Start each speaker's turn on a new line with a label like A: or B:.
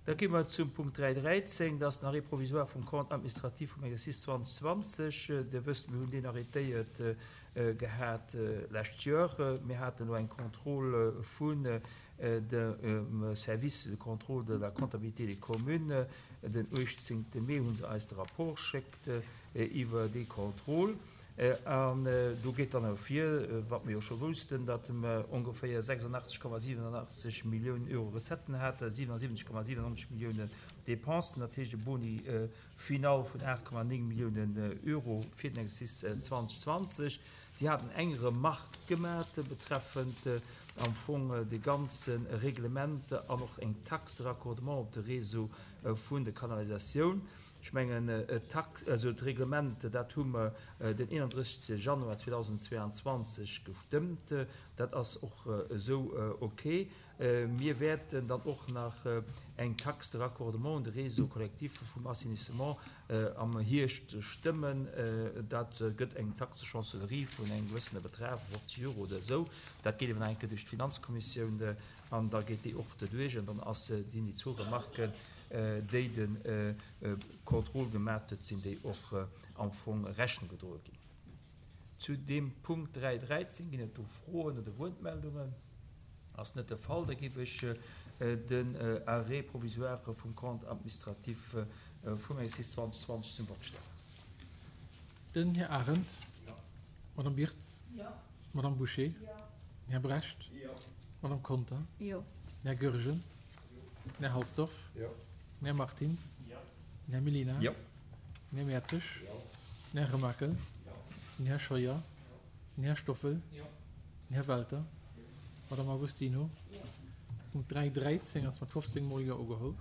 A: Da gi mer zum Punkt 3.13, dat ass den Arrêt provisoire vum Compte administratif vum Exercice 2020. Dir wësst, mir hunn deen arrêtéiert gehat d'lescht Joer. Mir haten elo eng Contrôle vun dem Service de contrôle de la comptabilité des communes. Den 18. Mee hu se eis de Rapport geschéckt iwwer déi Contrôle. An do geet dann ervir, wat mer jo scho woussten, datt mer ongeféier 86,87 Milliounen Euro Recetten haten, 77,97 Milliounen Dépensen, dat heescht e Boni final vun 8,9 Milliounen Euro fir den Exercice 2020. Si haten eng Remarque gemat betreffend am Fong de ganze Reglement an och eng Taxe de raccordement op de Réseau vun der Kanalisatioun. Ech mengen, d'Tax, also d'Reglement, dat hu mer den 31. Januar 2022 gestëmmt. Dat ass och esou ok. Mir wäerten dann och nach eng Taxe de raccordement un de Réseau collectif vum Assainissement am Hierscht stëmmen. Dat gëtt eng Taxe de chancellerie vun engem gewëssene Betrag, 50 Euro oder esou. Dat geet awer nach eng Kéier duerch d'Finanzkommissioun an da geet déi och doduerch. An dann ass, sinn déi zwou Remarken, déi de Contrôle gemat huet, sinn déi och am Fong Rechnung gedroe ginn. Zu deem Punkt 3.13 ginn et do Froen oder Wuertmeldungen? Ass net de Fall. Da géif ech den Arrêt provisoire vum Compte administratif vum Exercice 2020 zum Vott stellen.
B: Den Här Arendt. Jo. D'Madame Birtz. Jo. D'Madame Bouché. Jo. Den Här Brecht. Jo. D'Madame Conter. Jo. Den Här Goergen. Den Här Halsdorf. Jo. Den Här Martins. Jo. Den Här Mellina. Jo. Den Här Mertzig. Jo. Den Här Remakel. Jo. Den Här Scheuer. Jo. Den Här Stoffel. Jo. Den Här Welter. Jo. D'Madame Agostino. Jo. Punkt 3.13 ass mat 15 mol Jo ugeholl.